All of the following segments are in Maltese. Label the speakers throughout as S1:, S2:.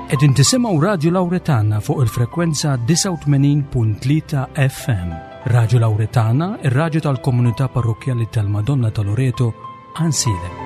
S1: Qegħdin tisimgħu Radju Lawretana fuq il-frekwenza 89.3 FM. Radju Lawretana, ir-radju tal-komunità parrokkjali tal-Madonna ta' Loreto, Ansilem.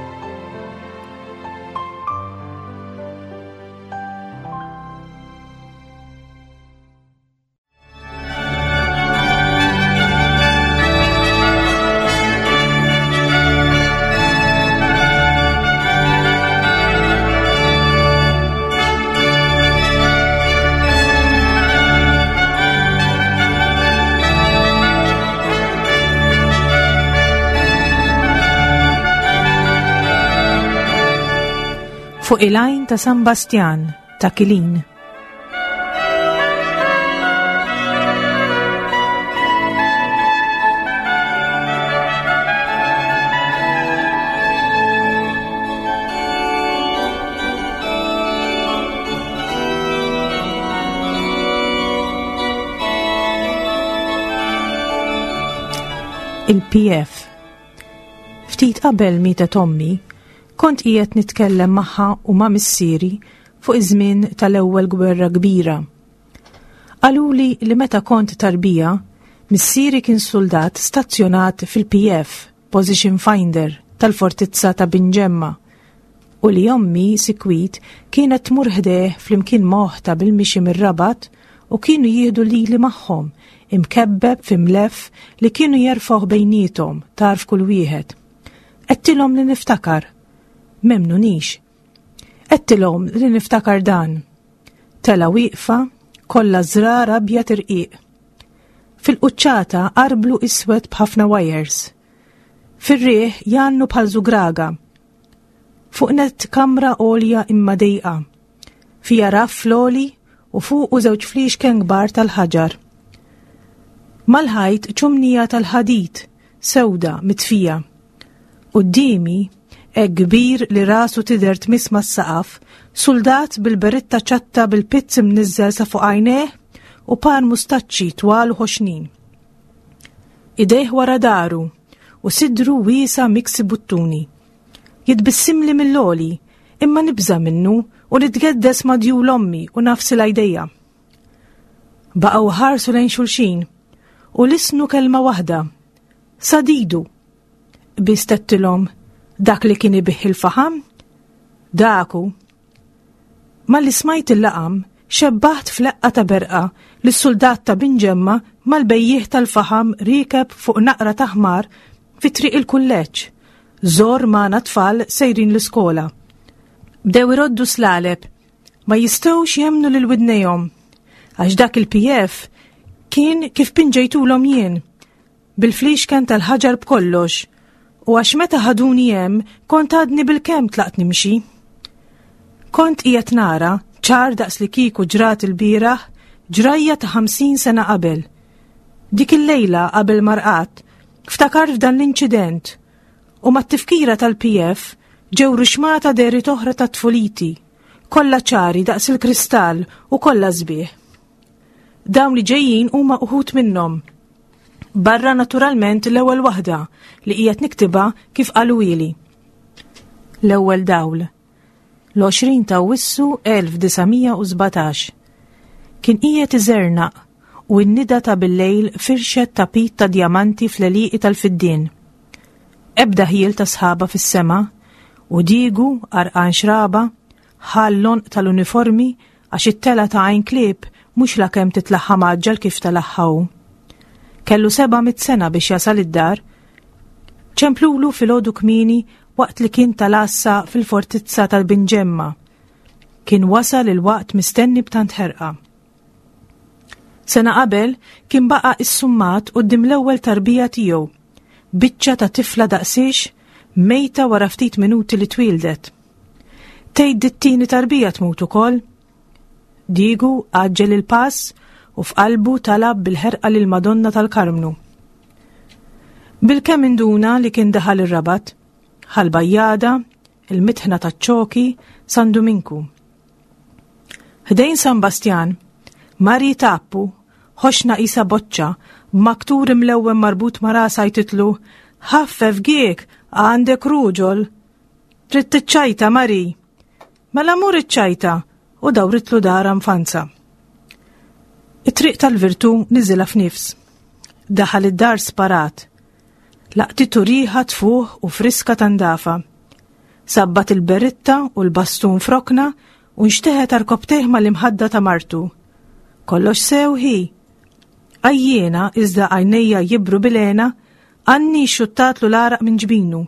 S2: Fuq il-għajn ta' San Bastjan ta' Kilin. Il-PF. Ftit qabel mietet ommi, kont qiegħed nitkellem magħha u ma' missieri fuq iż-żmien tal-Ewwel Gwerra Kbira. Qaluli li meta kont tarbija, missieri kien suldat stazzjonat fil-PF, Position Finder, tal-fortizza ta' Binġemma, u li ommi sikwit kienet tmur ħdejh flimkien ma' oħtha bil-mixi mir-Rabat u kienu jieħdu lili magħhom, imkebbeb fi mlef li kienu jerfgħuh bejniethom tarf kull wieħed. Għedtilhom li niftakar. M'emmnunix. Għedtilhom li niftakar dan. Tela wieqfa, kollha żrar abjad irqiq. Fil-quċċata arblu iswed b'ħafna wires. Fir-riħ jgħannu bħal żugraga. Fuq nett kamra għolja imma dejqa. Fija raff fl-għoli u fuqu żewġ fliexken kbar tal-ħaġar. Mal-ħajt ċumnija tal-ħadid, sewda, mitfija. Quddiemi, hekk kbir li rasu tidher tmiss mas-saqaf, suldat bil-beritta ċatta bil-pizz imniżżel sa fuq għajnejh u par mustaċċi twal u ħoxnin. Idejh wara daru u sidru wiesa' miksi buttuni. Jitbissimli mill-għoli, imma nibża' minnu u nitgeddes ma' djul ommi u nagħfsilha jdejja. Baqgħu ħarsu lejn xulxin u lisnu kelma waħda. Sadidu. Biss tettilhom dak li kien ibih il-faħam? Daku. Malli smajt il-laqam, xebbaħt f'leqqa ta' berqa li s-suldat ta' Binġemma mal-bejjiegħ tal-faħam riekeb fuq naqra ta' ħmar fi triq il-kulleġġ. Żor magħna tfal sejrin l-iskola. Bdew iroddu slaleb, ma jistgħux jemmnu lil widnejhom. Għax dak il-PF kien kif pinġejtulhom jien, bil-fliexken tal-ħaġar b'kollox, u għax meta ħaduni hemm kont għadni bilkemm tlaqt nimxi. Kont qiegħed nara, ċar daqs li kieku ġrat ilbieraħ, ġrajja ta' 50 sena qabel. Dik il-lejla qabel ma rqadt, ftakart f'dan l-inċident u mat-tifkira tal-PF ġew ruxmata dehriet oħra ta' tfuliti, kollha ċari daqs il-kristall u kollha sbieħ. Dawn li ġejjin huma uħud minnhom. Barra naturalment l-ewwel waħda li qiegħed niktibha kif qaluhieli. L-ewwel dawl. L-20 ta' Awwissu 1917. Kien qiegħed iżernaq u n-nida ta' billejl firxet tapit ta' djamanti fl-għelieqi tal-fiddien. Ebda ħjiel ta' sħaba fis-sema u Diegu għarqan xraba ħa l-għonq tal-uniformi għax it-telgħa ta' Għajn Klieb mhux lakemm titlaħħa mgħaġġel kif telagħha hu. Kellu 700 sena biex jasal id-dar. Ċemplulu filgħodu kmieni waqt li kien tal-għassa fil-fortizza tal-Binġemma. Kien wasal il-waqt mistenni b'tant ħerqa. Sena qabel kien baqa' issummat quddiem l-ewwel tarbija tiegħu, biċċa ta' tifla daqsiex mejta wara ftit minuti li twieldet. Tgħid dit-tieni tarbija tmut ukoll? Diegu għaġġel il-pass u f'qalbu talab bil-ħerqa lil Madonna tal-Karmnu. Bilkemm induna li kien daħal ir-Rabat, Ħal-Bajjada, il-Mitħna taċ-Ċoki, San Duminku. Ħdejn San Bastjan, Mari Tappu, ħoxna qisha boċċa, b'maktur imlewwen marbut ma' rasha jtitlu, Ħaffef giek, għandek ruġol! Trid tiċċajta, Mari? Mela mur iċċajta! u dawritlu dara nfanza. It-triq tal-virtu niżilha f'nifs. Daħal id-dar sparat. Laqtitu riħa tfuħ u friska tandafa. Sabbat il-beritta u l-bastun frokna u nxteħet arkobtejh mal-imħadda ta' martu. Kollox sew hi. Għajjiena iżda għajnejja jibru bilena, Anni xuttatlu l-għaraq minn ġbinu.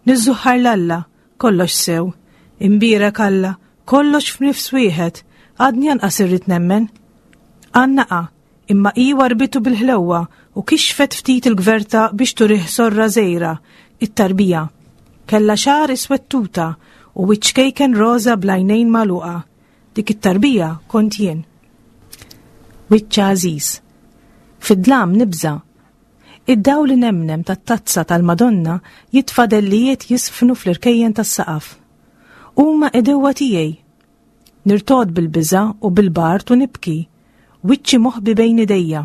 S2: Niżżuħħar l-Alla, kollox sew. Imbierek Alla, kollox f'nifs wieħed, għadni anqas irrid nemmen. Għannaqa, imma hi warbitu bil-ħlewwa u kixfet ftit il-gverta biex turih sorra żgħira, it-tarbija. Kellha xagħar iswed tuta u wiċċ kejken roża bl-għajnejn magħluqa. Dik it-tarbija kont jien. Wiċċ għażiż. Fid-dlam nibża'. Id-dawl inemnem tat-tazza tal-Madonna jitfa' dellijiet jiżfnu fl-irkejjen tas-saqaf. Huma għedewwa tiegħi. Nirtogħod bil-biża' u bil-bard u nibki, wiċċi moħbi bejn idejja.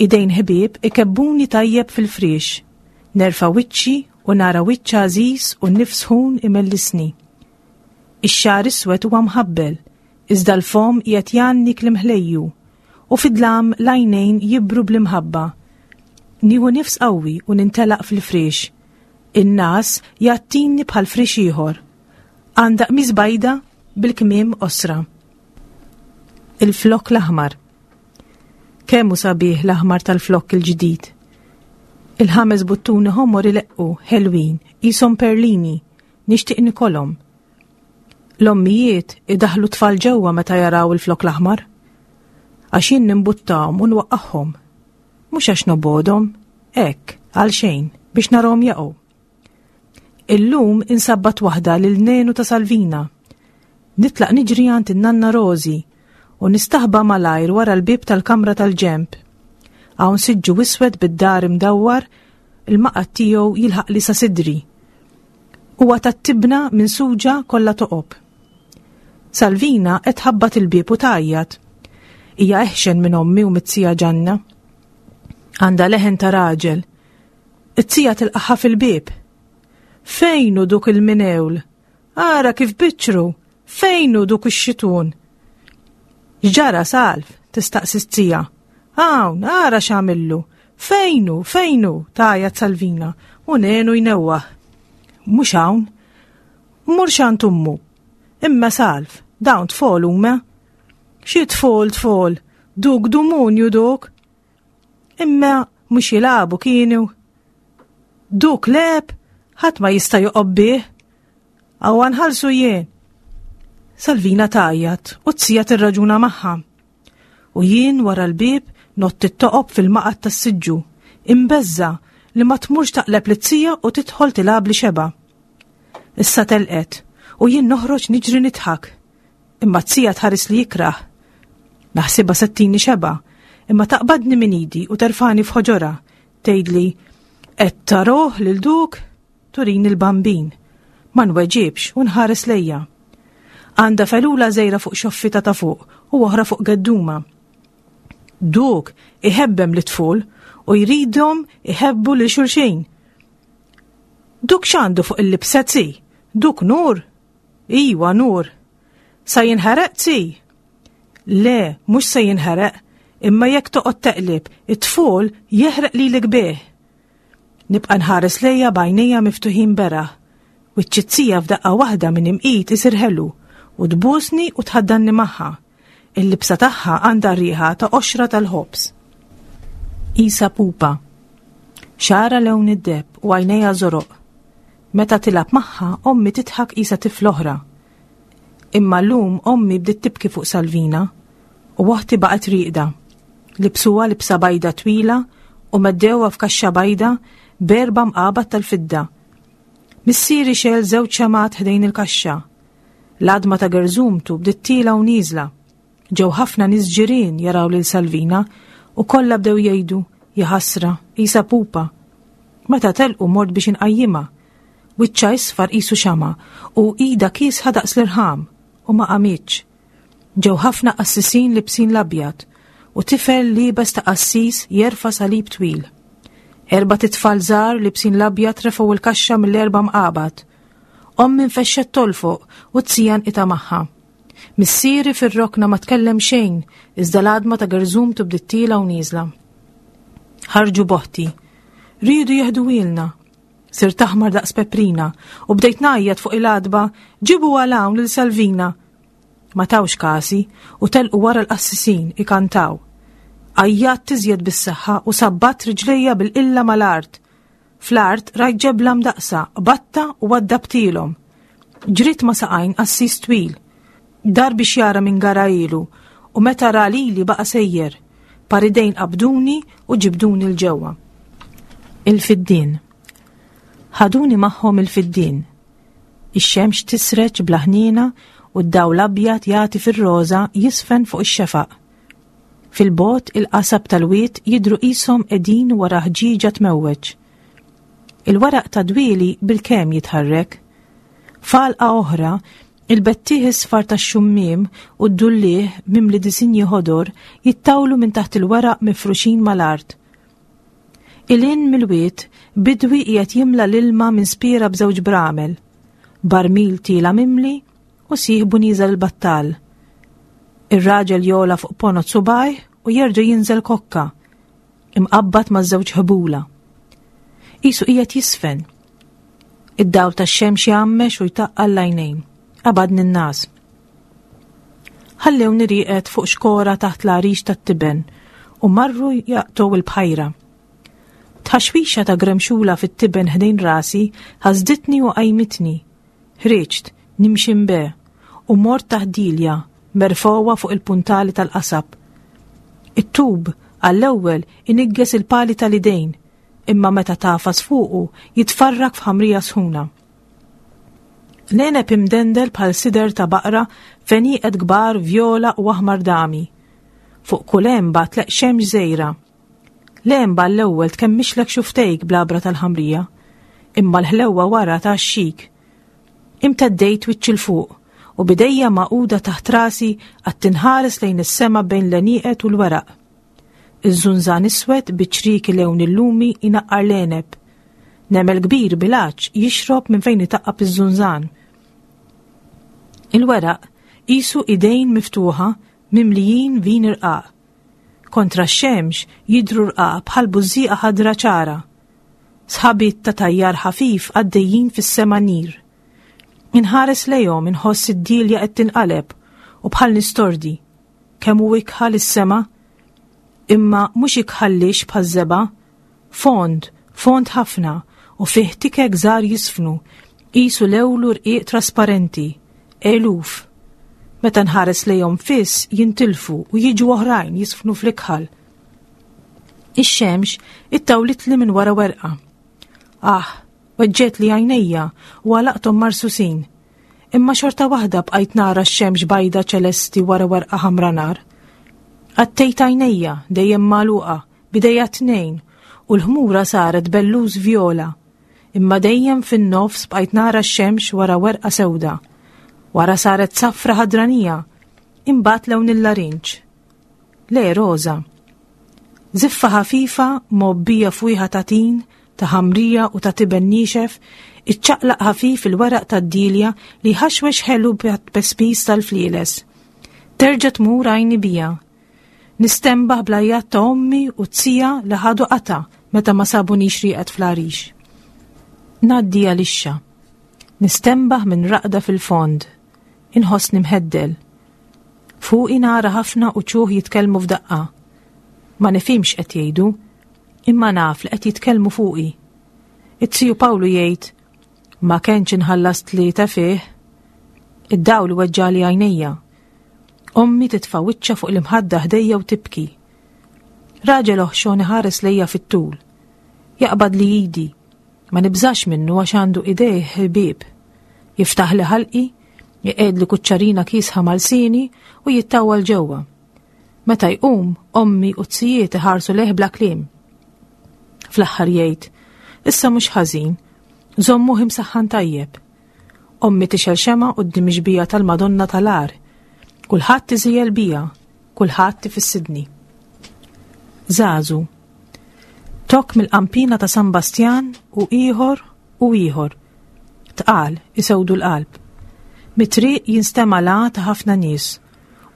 S2: Idejn ħbieb ikebbuni tajjeb fil-friex. Nerfa' wiċċi u nara wiċċ għażiż u nifs sħun imellisni. Ix-xagħar iswed huwa mħabbel, iżda l-fomm qiegħed jgħanni kliem ħlejju, u fid-dlam l-għajnejn jibru bl-imħabba. Nieħu nifs qawwi u nintelaq fil-friex. In-ngħas jgħattini bħal friex ieħor. Għandha qmis bajda bil-kmiem qosra. Il-flokk l-aħmar. Kemm hu sabiħ l-aħmar tal-flokk il-ġdid. Il-ħames buttuni ħomor ileqqu, ħelwin, qishom perlini, nixtieq nikolhom. L-ommijiet idaħlu tfal ġewwa meta jaraw il-flok l-aħmar. Għax jien nimbuttahom u nwaqqagħhom. Mhux għax nobodhom, hekk, għal xejn, biex narahom jaqgħu. Illum insabbat waħda lil Nenu ta' Salvina. Nitlaq niġri għand in-nanna Rosi u nistaħba malajr wara l-bieb tal-kamra tal-ġenb. Hawn siġġu iswed bid-dar imdawwar, il-maqgħad tiegħu jilħaqli sa sidri. Huwa tat-tibna minsuġa kollha toqob. Salvina qed tħabbat il-bieb u tgħajjat. Hija eħxen minn ommi u mit-tija Ġanna. Għandha leħen ta' raġel. It-tija tilqaħħa fil-bieb. Fejn hu duk il-minewl? Ara kif biċċru! Fejn hu duk ix-xitun? X'ġara Salv? tistaqsi t-tija. Hawn, ara x'għamillu! Fejn hu, fejn hu? tgħajjat Salvina u Nenu jnewwaħ. Mhux hawn. Mur x'għand ummu. Imma Salv, dawn tfol huma. Xi tfol tfol, duk dumunju duk. Imma mhux jilagħbu kienu. Duk leb, ħadd ma jista' joqob bih. Awa nħallsu jien. Salvina tgħajjat u t-sija tirraġuna magħha. U jien wara l-bieb nott it-toqob fil-maqgħad tas-siġġu, imbeżża' li ma tmurx taqleb lit-tija u tidħol tilgħabli xebgħa. Issa telqet u jien noħroġ niġri nidħak. Imma t-tija tħares li jikrah. Naħsibha se ttini xebgħa, imma taqbadni minn idi u terfani f'ħoġorha, tgħidli, Qed taroh lil duk? Turini l-bambin. Ma nweġibx u nħares lejja. Għandha felula żgħira fuq xoffita ta' fuq u oħra fuq gedduma. Duk iħebbem lit-tful u jridhom iħebbu lil xulxin. Duk x'għandu fuq il-libsa zi? Duk nur? Iwa nur. Sa jinħereq zi? Le, mhux se jinħereq, imma jekk toqgħod teqlib, it-tful jeħreq lilek bih. Nibqa' nħares lejha b'għajnejja miftuħin beraħ. Wiċċ it-tija f'daqqa waħda minn imqit isir ħelu u tbusni u tħaddanni magħha. Il-libsa tagħha għandha r-riħa ta' qoxra tal-ħobż. Qisha pupa. Xagħarha lewn id-deheb u għajnejha żoroq. Meta tilgħab magħha, ommi tidħak qisha tifla oħra. Imma llum ommi bdiet tibki fuq Salvina u oħti baqgħet rieqda. Libsuha libsa bajda twila u meddewha f'kaxxa bajda b'erba' mqabad tal-fidda. Missieri xegħel żewġ xemgħat ħdejn il-kaxxa. L-għadma ta' gerżumtu bdiet tiela' u nieżla. Ġew ħafna nies ġirien jaraw lil Salvina u kollha bdew jgħidu, Jaħasra, qisha pupa. Meta telqu mort biex inqajjimha. Wiċċha isfar qisu xama' u idha kiesħa daqs l-irħam u ma qamitx. Ġew ħafna qassisin libsin l-abjad u tifel liebes ta' qassis jerfa' salib twil. Erbat itfal żgħar libsin l-abjad refgħu l-kaxxa mill-erba' mqabad. Ommi nfexxet tolfoq u t-tija nqita' magħha. Missieri fir-rokna ma tkellem xejn, iżda l-għadma ta' gerżumtu bdiet tiela u nieżla. Ħarġu boħti. Riedu jeħduhielna. Sirt aħmar daqs peprina u bdejt ngħajjat fuq il-għadba, ġibu għal hawn lil Salvina. Ma tawx kasi u telqu wara l-qassisin ikantaw. Għajjatt iżjed bis-saħħa u sabbatt riġlejja bil-qilla mal-art. Fl-art rajt ġebla mdaqqsa, qbadtha u waddabtilhom. Ġriet ma' saqajn qassis twil. Dar biex jara min garahielu u meta ra lili baqa' sejjer. Par idejn qabduni u ġibduni 'l ġewwa. Il-fiddien. Ħaduni magħhom il-fiddien. Ix-xemx tisreġ bla ħniena u d-dawl abjad jagħti fir-roża jiżfen fuq ix-xefaq. Fil-bogħod il-qasab tal-wied jidhru qishom qegħdin wara ħġieġa tmewweġ. Il-weraq tad-dwieli bilkemm jitħarrek. F'għalqa oħra, il-bettieħ isfar tax-xummiem u d-dulliegħ mimli disinji ħodor jittawlu minn taħt il-weraq mifruxin mal-art. 'Il hinn mill-wied, bidwi qiegħed jimla l-ilma minn spiera b'żewġ bramel. Barmil tiela' mimli u sieħbu nieżel il-battal. Ir-raġel jogħla fuq ponot subgħajh u jerġa' jinżel kokka, imqabbad ma' żewġ ħbula. Qisu qiegħed jisfen. Id-dawl tax-xemx jgħammex u jtaqqal l-għajnejn. Qabadni n-nas. Ħallewni rieqed fuq xkora taħt l-għarix tat-tiben u marru jaqtgħu il-bħajra. Tħaxwixa ta' gremxula fit-tiben ħdejn rasi ħasditni u qajmitni. Ħriġt, nimxi mbe, u mort taħt dilja, merfgħuha fuq il-puntali tal-qasab. It-tub, għall-ewwel, inigges il-pali tal-idejn, imma meta tagħfas fuqu jitfarrak f'ħamrija sħuna. L-għeneb imdendel bħal sider ta' baqra f'għenieqed kbar vjola u aħmar dami. Fuq kull għenba tleqq xemx żgħira. L-għenba għall-ewwel tkemmixlek xuftejk bl-għabra tal-ħamrija, imma l-ħlewwa wara tgħaxxik. Imteddejt wiċċi 'l fuq u b'idejja magħquda taħt rasi qgħadt inħares lejn is-sema bejn l-għenieqed u l-weraq. Iż-żunżan iswed bi ċrieki lewn il-lumi jnaqqar l-għeneb. Nemel kbir bil-għatx jixrob minn fejn itaqqab iż-żunżan. Il-weraq qisu idejn miftuħa mimlijin vin irqaq. Kontra x-xemx jidhru rqaq bħal bużżieqa ħadra ċara. Sħabiet ta' tajjar ħafif għaddejjin fis-sema nir. Inħares lejhom inħoss id-dielja qed tinqaleb u bħal nistordi. Kemm hu ikħal is-sema? Imma mhux ikħal lix bħaż-żebgħa. Fond, fond ħafna u fih tikek żgħar jisfnu, qisu lewlu rqiq trasparenti. Eluf. Meta nħares lejhom fiss jintilfu u jiġu oħrajn jisfnu fl-ikħal. Ix-xemx ittawlitli minn wara werqa. Ah, weġġetli għajnejja u għalaqthom marsusin. Imma xorta waħda bqajt nara x-xemx bajda ċelesti wara werqa ħamra nar. Għattejt għajnejja, dejjem magħluqa, b'idejja t-tnejn, u l-ħmura saret belluż vjola. Imma dejjem fin-nofs bqajt nara x-xemx wara werqa sewda. Wara saret safra ħadranija, imbagħad lewn il-larinġ. Le, roża. Żiffa ħafifa mgħobbija fwieħa ta' tin, ta' ħamrija u ta' tiben niexef, iċċaqlaq ħafif il-weraq tad-dielja li jħaxwex ħelu b'tpespis tal-flieles. Terġa' tmur għajni bija. Nistenbaħ bl-għajjat ta' ommi u t-tija li ħadu qatgħa meta ma sabunix rieqed fl-għarix. Ngħaddi għal ixxa. Nistenbaħ minn raqda fil-fond. Inħossni mħeddel. Fuqi nara ħafna uċuħ jitkellmu f'daqqa. Ma nifhimx qed jgħidu, imma naf li qed jitkellmu fuqi. It-tiju Pawlu jgħid, ma kenx inħallas tlieta fih. Id-dawl weġġali għajnejja. Ommi titfa' wiċċha fuq l-imħadda ħdejja u tibki. Raġel oħxon iħares lejja fit-tul. Jaqbad li idi. Ma nibżax minnu għax għandu idejh ħbieb. Jiftaħli ħalqi, iqegħedli kuċċarina kiesħa mal-sieni u jittawwal ġewwa. Meta jqum, ommi u t-sijiet iħarsu lejh bla kliem. Fl-aħħar jgħid, issa mhux ħażin, żommuh imsaħħan tajjeb. Ommi tixgħel xemgħa quddiem ix-xbieha tal-Madonna tal-Għar. Kulħadd iżejjel bija, kulħadd ifissidni. Żagħżu. Tokk mill-qampina ta' San Bastjan u ieħor u ieħor. Tqal, isewdu l-qalb. Mit-triq jinstema' l-għa ta' ħafna nies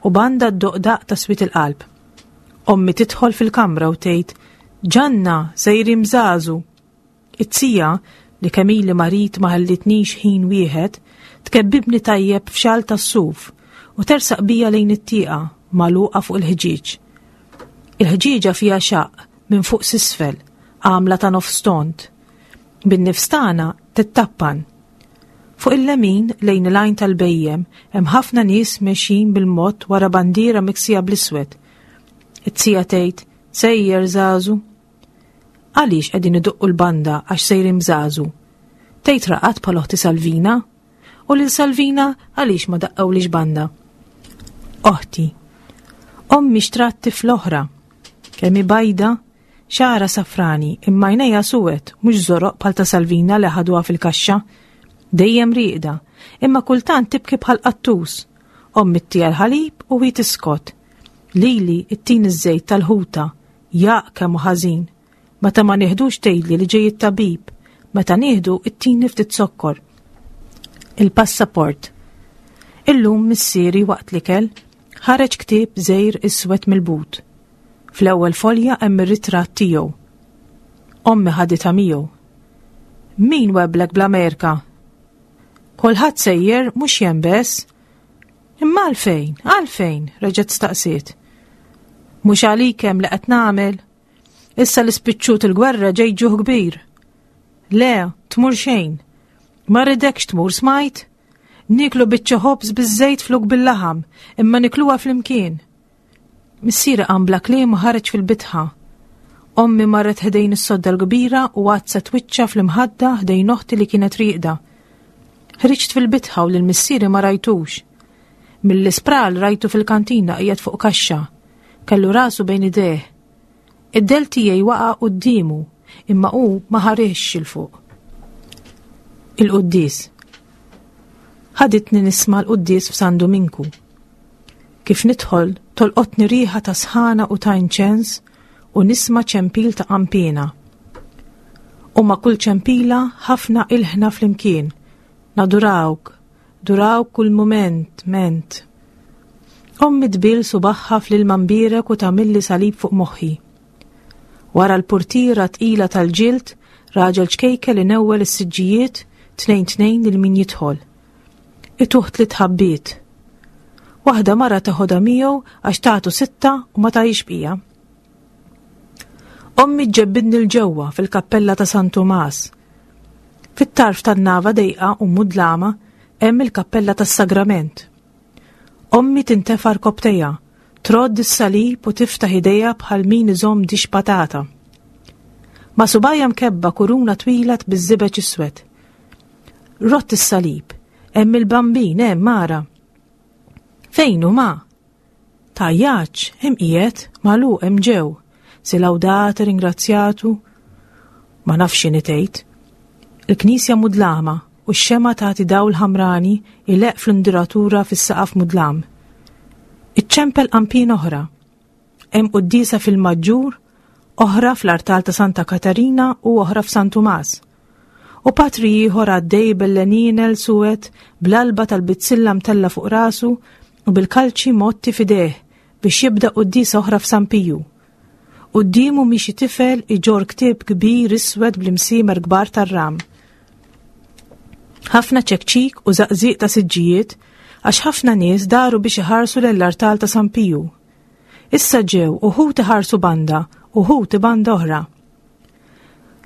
S2: u banda ddoqq daqq ta' swied il-qalb. Ommi tidħol fil-kamra u tgħid, Ġanna, sejrin bżażu! It-tija, li kemm ili marid ma ħallitnix ħin wieħed, tkebbibni tajjeb f'xall tas-suf u tersaq bija lejn it-tieqa magħluqa fuq il-ħġieġ. Il-ħġieġa fiha xaqq minn fuq s'isfel, għamla ta' nofs tond. Bin-nifs tagħna tittappan. Fuq il-lemin lejn il-għajn tal-bhejjem hemm ħafna nies mexjin bil-mod wara bandiera miksija bl-iswed. It-tija tgħid, Sejjer żagħżu. Għaliex qegħdin idoqqu l-banda għax sejrin bżażu? Tgħid raqad bħal oħti Salvina? U lil Salvina għaliex ma daqqawlix banda? Oħti. Ommi xtrat tifla oħra. Kemm hi bajda, xagħarha safrani, imma għajnejha suwed, mhux żoroq bħal ta' Salvina li ħaduha fil-kaxxa. Dejjem rieqda, imma kultant tibki bħal qattus. Ommi ttiha l-ħalib u hi tiskot. Lili ttini ż-żejt tal-ħuta Jaq kemm hu ħażin. Meta ma nieħdux tgħidli li ġej it-tabib. Meta nieħdu ittini ftit zokkor. Il-passaport. Illum missieri waqt l-ikel ħareġ ktieb żgħir iswed mill-but. Fl-ewwel folja hemm ir-ritratt tiegħu. Ommi ħaditha miegħu. Min weblek bl-Amerika? Kulħadd sejjer mhux jien bes. Imma għalfejn, għalfejn, reġgħet staqsiet. Mhux għalik hemm li qed nagħmel. Issa li spiċċut il-gwerra ġej ġuħ kbir. Le, tmur xejn. Ma rridekx tmur smajt? Niklu biċċa ħobż biż-żejt flok bil-laħam, imma nikluha flimkien. Missieri qam bla kliem u ħareġ fil-bitħa. Ommi marret ħdejn is-sodda l-kbira u għaddset wiċċha fl-imħadda ħdejn oħti li kienet rieqda. Ħriġt fil-bitħa u lil missieri ma rajtux. Mill-ispral rajtu fil-kantina qiegħed fuq kaxxa. Kellu rasu bejn idejh. Id-dell tiegħi waqa' quddiemu, imma hu ma ħarisx 'il fuq. Il-quddies. Ħaditni nisma' l-quddies f'San Duminku. Kif nidħol, tolqotni riħa ta' sħana u ta' inċens u nisma' ċempil ta' qanpiena. U ma' kull ċempila ħafna ilħna flimkien. Nadurawk, durawk kull mument, ment. Ommi tbil subaħħa fl-ilma mbierek u tagħmilli salib fuq moħħi. Wara l-purtiera tqila tal-ġild, raġel ċkejkel inewwel is-siġġijiet tnejn tnejn lil min jidħol. Ituh tliet ħabbiet. Waħda mara teħodha miegħu għax tagħtu sitta u ma tagħix bqija. Ommi ġġebbidni 'l ġewwa fil-kappella ta' San Tumas. Fit-tarf tan-nava dejqa u mudlama hemm il-kappella tas-Sagrament. Ommi tintefa' rkopptejha, trodd is-salib u tiftaħ idejha bħal min iżomm dix patata. Ma' subgħajha mkebba kuruna twila biż-żibeġ iswed. Rott is-salib, hemm il-bambin hemm ara. Fejn hu ma? Tgħajjatx, hemm qiegħed, magħluq hemm ġew. Si lawdate, ringrazzjatu. Ma nafx x'inhi tgħid. Il-knisja mudlama u x-xemgħa tagħti dawl ħamrani ileqq fl-induratura fis-saqaf mudlam. Iċċempel qanpien oħra. Hemm quddiesa fil-Maġġur, oħra fl-artal ta' Santa Katarina u oħra f'San Tumas. U patri ieħor għaddej bel-lenienel suwed bl-alba tal-bizzilla mtella fuq rasu u bil-kalċi mgħotti f'idejh biex jibda quddiesa oħra f'San Piju. Quddiemu miexi tifel iġorr ktieb kbir iswed bl-imsiemer kbar tar-ram. Ħafna ċekċik u żaqżiq ta' siġġijiet għax ħafna nies daru biex iħarsu lejn l-artal ta' San Piju. Issa ġew uħud iħarsu banda, uħud banda oħra.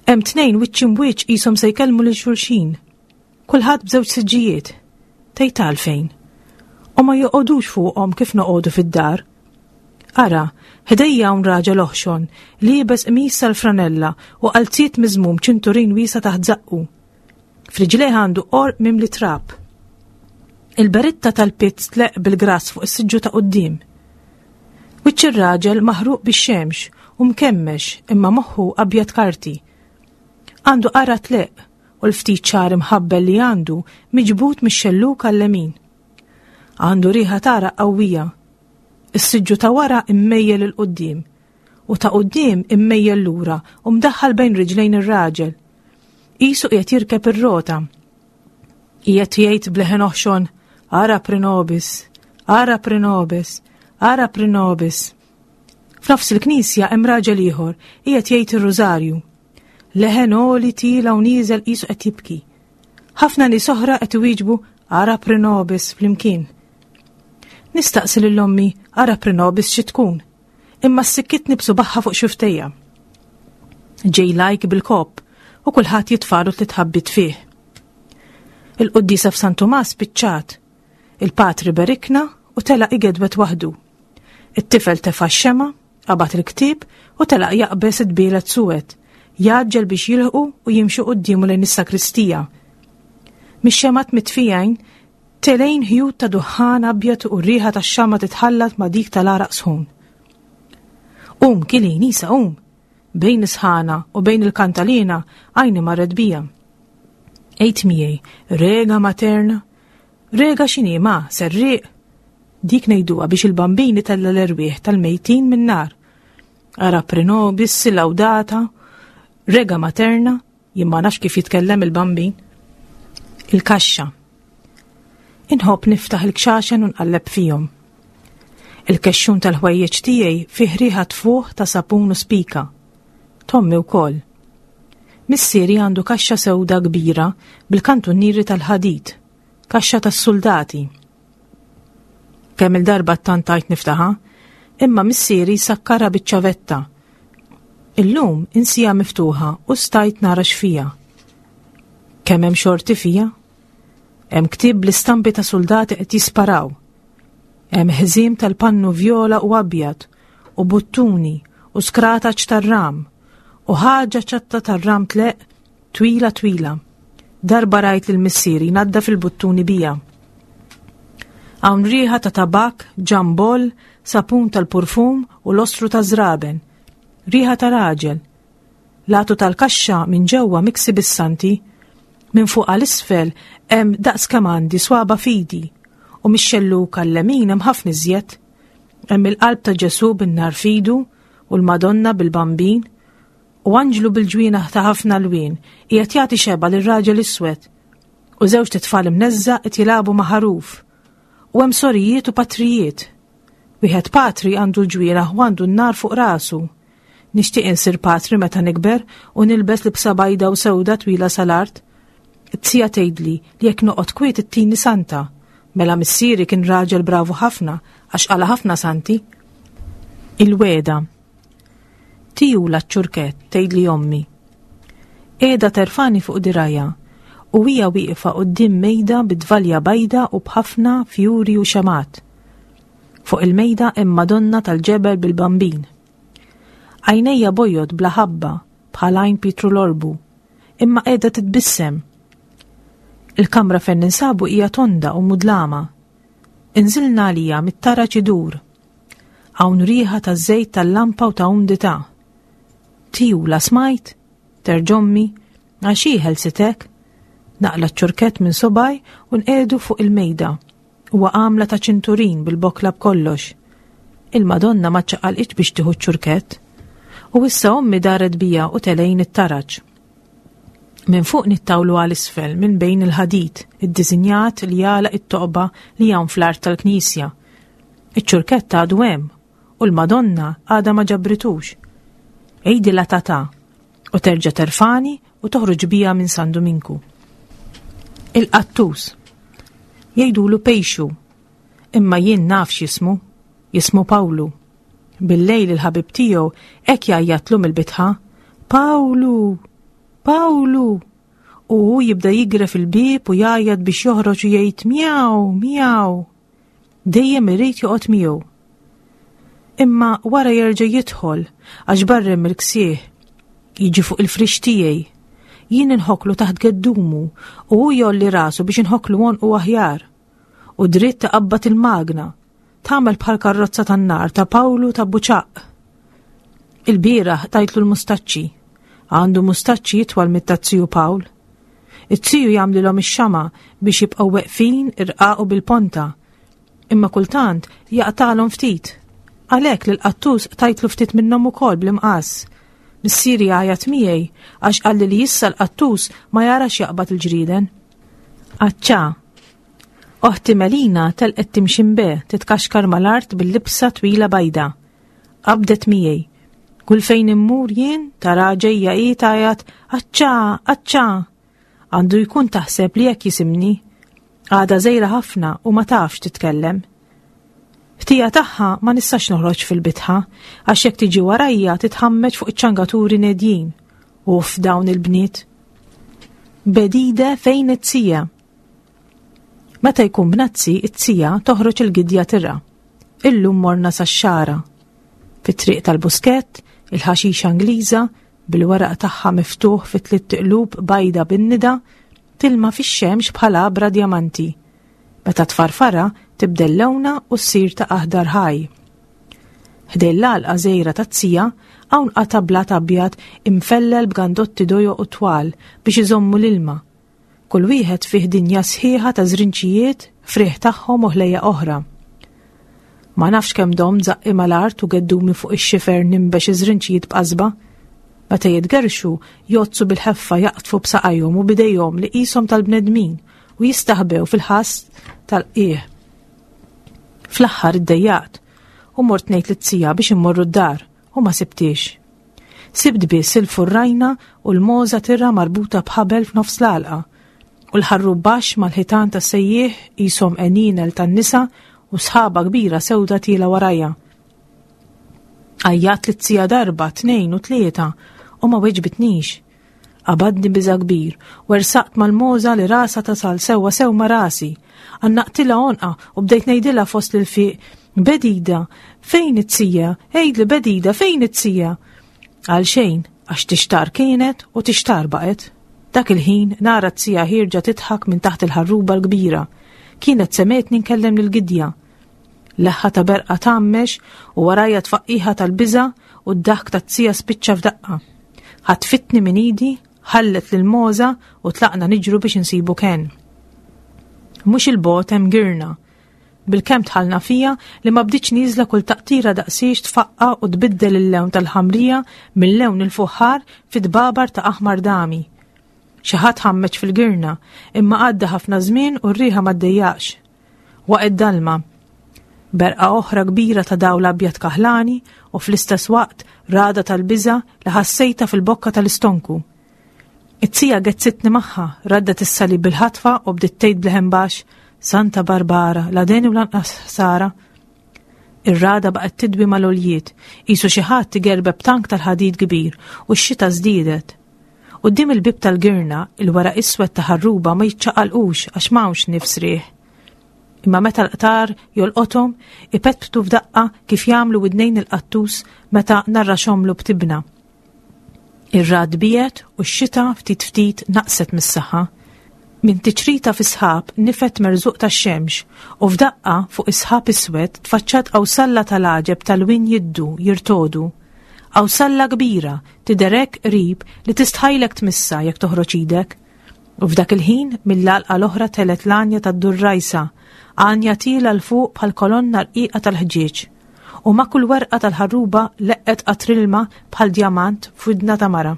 S2: Hemm tnejn wiċċ imbwiċċ qishom se jkellmu lil xulxin. Kulħadd b'żewġ siġġijiet. Tgħid għalfejn. U ma joqogħdux fuqhom kif noqogħdu fid-dar. Ara, ħdejja hawn raġel oħxon, liebes qmis sal-franella u qalziet miżmum ċinturin wiesa' taħt żaqqu. F'riġlejh għandu qorq mimli trab. Il-beritta tal-pizz tleqq bil-grass fuq is-siġġu ta' quddiem. Wiċċ ir-raġel maħruq bix-xemx u mkemmex imma moħħu abjad karti. Għandu qara tleqq u l-ftit ċar imħabbel li għandu miġbud mix-xellug għal-lemin. Għandu riħa t'għaraq qawwija. Is-siġġu ta' wara immejjel 'il quddiem u ta' quddiem immejjel lura u mdaħħal bejn riġlejn ir-raġel. Qisu qiegħed jirkeb ir-rota. Qiegħed jgħid b'leħen oħxon, Ara pre nobis, ara pre nobis, ara pre nobis. F'nofs il-knisja hemm raġel ieħor qiegħed jgħid ir-rużarju. Leħen għoli tiela u nieżel qisu qed jibki. Ħafna nies oħra qed iwieġbu ara pre nobis flimkien. Nistaqsi lil ommi ara pre nobis xi tkun, imma ssikkitni b'subaħħa fuq xuftejja. Ġej lajk bil-kopp u kulħadd jitfalu tliet ħabbiet fih. Il-quddiesa f'San Tumas spiċċat. Il-patri berikna u telaq igedwet waħdu. It-tifel tefa' x-xema, qabad il-ktieb u telaq jaqbeż id-dbielet suwed, jgħaġġel biex jilħqu u jimxu quddiemu lejn is-sakristija. Mix-xemgħat mitfijajn telgħin ħjut ta' duħħan abjad u r-riħa tax-xama' titħallat ma' dik tal-għaraq sħun. Qum, Kilin, isa qum! Bejn is-sħana u bejn il-kantalina għajni marret bija. Għid miegħi, rega materna, rega x'inhi ma, serrieq? Dik ngħiduha biex il-bambin itella' l-erwieħ tal-mejtin min-nar. Ara pre nobis, laudata, rega materna, Jien ma nafx kif jitkellem il-Bambin. Il-kaxxa. Inħobb niftaħ il-kxaxen u nqalleb fihom. Il-kexxun tal-ħwejjeġ tiegħi fih riħa tfuħ ta' sapun u spika. Tommi wkoll. Missieri għandu kaxxa sewda kbira bil-kantunieri tal-ħadid, kaxxa tas-suldati. Kemm il-darba ttantajt niftaħa, imma missieri sakkarha biċ-ċavetta. Illum insija miftuħa u stajt nara x'fija. Kemm hemm xorti fija? Hemm ktieb bl-istampi ta' suldati qed jisparaw. Hemm ħżiem tal-pannu vjola u abjad u buttuni u skrataċ tar-ram u ħaġa ċatta tar-ram tleq Twila twila. Darba rajt lil missieri jnaddaf il-buttuni bija. Hawn riħa ta' tabakk, ġambol, sapun tal-purfum u l-ostru ta' żraben. Riħa ta' raġel. L-għatu tal-kaxxa minn ġewwa miksi bis-santi. Minn fuq għal isfel hemm daqs kemm għandi swaba fidi u mix-xellug għal-lemin hemm ħafna iżjed. Hemm il-qalb ta' Ġesù bin-nar f'idu u l-Madonna bil-Bambin U anġlu bil-ġwienaħ ta' ħafna lwien qiegħed jagħti xebgħa lir-raġel iswed. U żewġt itfal imneżża' qed jilagħbu ma' ħaruf. U hemm sorijiet u patrijiet. Wieħed patri għandu l-ġwienaħ u għandu n-nar fuq rasu. Nixtieq insir patri meta nikber u nilbes libsa bajda u sewda twila sal-art. It-tija tgħidli li jekk noqgħod kwiet ittini santa. Mela missieri kien raġel bravu ħafna għax qala ħafna santi. Il-wegħda. Tijula ċ-ċurkett, tgħidli ommi. Qiegħda terfani fuq dirgħajha u hija wieqfa quddiem mejda bi tvalja bajda u b'ħafna fjuri u xemgħat. Fuq il-mejda hemm Madonna tal-ġebel bil-Bambin. Għajnejja bojod bla ħabba bħal għajn Pietru l-Orbu, imma qiegħda titbissem. Il-kamra fejn ninsabu hija tonda u mudlama. Inżilna għalija mit-taraġ idur. Hawn riħa ta' żejt tal-lampa u ta' umdità. Tijula smajt? Terġommi, għax hi ħelsitek? Naqla ċ-ċurkett minn subgħaj u nqiegħdu fuq il-mejda. Huwa għamla ta' ċinturin bil-bokla b'kollox. Il-Madonna ma ċċaqalqitx biex tieħu ċ-ċurkett. U issa ommi daret bija u telgħin it-taraġ. Minn fuq nittawlu għal isfel minn bejn il-ħadid, iddisinjat li jagħlaq it-toqba li hawn fl-art tal-knisja. Iċ-ċurkett għadu hemm u l-Madonna għadha ma ġabritux. Għidilha tata u terġa' terfani u toħroġ bija minn San Duminku. Il-qattus. Jgħidulu pejxu. Imma jien naf x'jismu. Jismu Pawlu. Bil-lejl il-ħabib tiegħu hekk jgħajjatlu mill-bitħa. Pawlu! Pawlu! U hu jibda jigref il-bieb u jgħajjat biex joħroġ u jgħid miaw, miaw. Dejjem irid joqgħod miegħu. Imma wara jerġa' jidħol għax barrem il-ksieħ. Jiġi fuq il-frix tiegħi. Jien inħoklu taħt geddumu u hu jolli rasu biex inħoklu għonqu aħjar. U dritt taqabbad il-magna. Tagħmel bħal karrozza tan-nar ta' Pawlu ta' Buċaq. Il-bieraħ tajtlu l-mustaċċi. Għandu mustaċċi jitwal mit-tazziju Pawl. Iz-ziju jagħmlilhom ix-xama' biex jibqgħu weqfin irqaqu bil-ponta. Imma kultant jaqtagħlhom ftit. Għalhekk lil qattus qtajtlu ftit minnhom ukoll bl-imqass. Missieri għajat miegħi għax qalli li issa l-qattus ma jarax jaqbad il-ġrieden. Aċċa. Oħti Melina telqet timxi mbe titkaxkar mal-art bil-libsa twila bajda. Qabdet miegħi. Kull fejn immur jien tara ġejja hi tgħajjat aċċa, aċċa. Għandu jkun taħseb li hekk jisimni. Għadha żgħira ħafna u ma tafx titkellem. Ħtija tagħha ma nistax noħroġ fil-bitħa għax jekk tiġi warajja titħammeġ fuq iċ-ċangaturi nedjin. Uff dawn il-bniet. Bedide fejn it-sija. Meta jkun bnazzi, it-sija toħroġ il-gidja tirra. Illum morna sax-xara. Fit-triq tal-Buskett, il-ħaxixa Ingliża, bil-weraq tagħha miftuħ fi tlitt iqlub bajda bin-nida, tilma fix-xemx bħal għabra djamanti. Meta tfarfarha, tibdel lewnha u ssir ta' aħdar ħaj. Ħdejn l-għalqa żgħira taz-zija hawn qata' blat abjad imfellel b'gandotti dojoq u twal biex iżommu l-ilma. Kull wieħed fih dinja sħiħa ta' żrinċijiet, frieħ tagħhom u ħlejjaq oħra. Ma nafx kemm domt żaqqi mal-art u geddumi fuq ix-xifer ninbex iż-żrinċijiet b'qasba. Meta jitgerrxu, jgħoddsu bil-ħeffa jaqdfu b'saqajhom u b'idejhom li qishom tal-bnedmin u jistaħbew fil-ħass tal-qiegħ. Fl-aħħar iddejjaqt u mort ngħid lit-tija biex immorru d-dar u ma sibtiex. Sibt biss il-furrajna u l-mogħża tirra marbuta b'ħabel f'nofs l-għalqa u l-ħarrub baxx mal-ħitan tas-sejjieħ qishom għenienel tan-nisa u sħaba kbira sewda tiela' warajja. Għajjat lit-tija darba, tnejn u tlieta u ma weġbitnix. Qabadni biża' kbir, wersaqt mal-mogħża li rasha tasal sewwa sew ma' rasi. Għannaqtilha għonqha u bdejt ngħidilha fost l-ilfiq, Bedida, fejn it-tija? Għidli Bedida, fejn it-tija? Għal xejn, għax tixtar kienet u tixtar baqgħet. Dak il-ħin nara t-tija ħierġa tidħak minn taħt il-ħarruba l-kbira. Kienet semgħetni nkellem lill-gidja. Leħħa ta' berqa tgħammex u warajja tfaqqiħa tal-biża' u d-daħk tat-tija spiċċa f'daqqa. Ħatfitni minn idi, ħallet lil Moza u tlaqna niġru biex insibu Ken. Mhux il-bogħod hemm girna. Bilkemm dħalna fija li ma bdietx nieżla kull taqtira daqsiex tfaqqa u tbiddel il-lewn tal-ħamrija minn lewn il-fuħħar fi tbabar ta' aħmar dami. Xi ħadd ħammeġ fil-girna, imma għadda ħafna żmien u r-riħa ma ddejjaqx. Waqgħet dalma. Berqa oħra kbira ta' dawl abjad kaħlani u fl-istess waqt ragħda tal-biża' li ħassejtha fil-bokka tal-istonku. It-tija gezzitni magħha, raddet is-salib bil-ħatfa u bdiet tgħid b'leħen baxx, Santa Barbara, la deni u lanqas ħsara. Ir-ragħda baqgħet tidwi mal-għoljiet, qisu xi ħadd igerbeb tank tal-ħadid kbir u x-xita żdiedet. Quddiem il-bieb tal-girna, il-weraq iswed ta' ħarruba ma jiċċaqalqux għax m'hawnx nifs riħ. Imma meta l-qtar jolqothom, ipetptu f'daqqa kif jagħmlu widnejn il-qattus meta narraxhomlu b'tibna. Ir-ragħad biegħed u x-xita ftit ftit naqset mis-saħħa. Minn tiċrita fis-sħab nifed merżuq tax-xemx u f'daqqa fuq is-sħab iswed tfaċċat qawsalla tal-għaġeb ta' lwien jiddu, jirtogħdu. Qawsalla kbira, tidher hekk qrib li tistħajlek tmissha jekk toħroġ idek. U f'dak il-ħin, mill-għalqa l-oħra telgħet l-għanja tad-durrajsa, għanja tiela 'l fuq bħal kolonna rqiqa tal-ħġieġ. U ma' kull werqa tal-ħarruba leqqet qatr ilma bħal djamant f'widna ta' mara.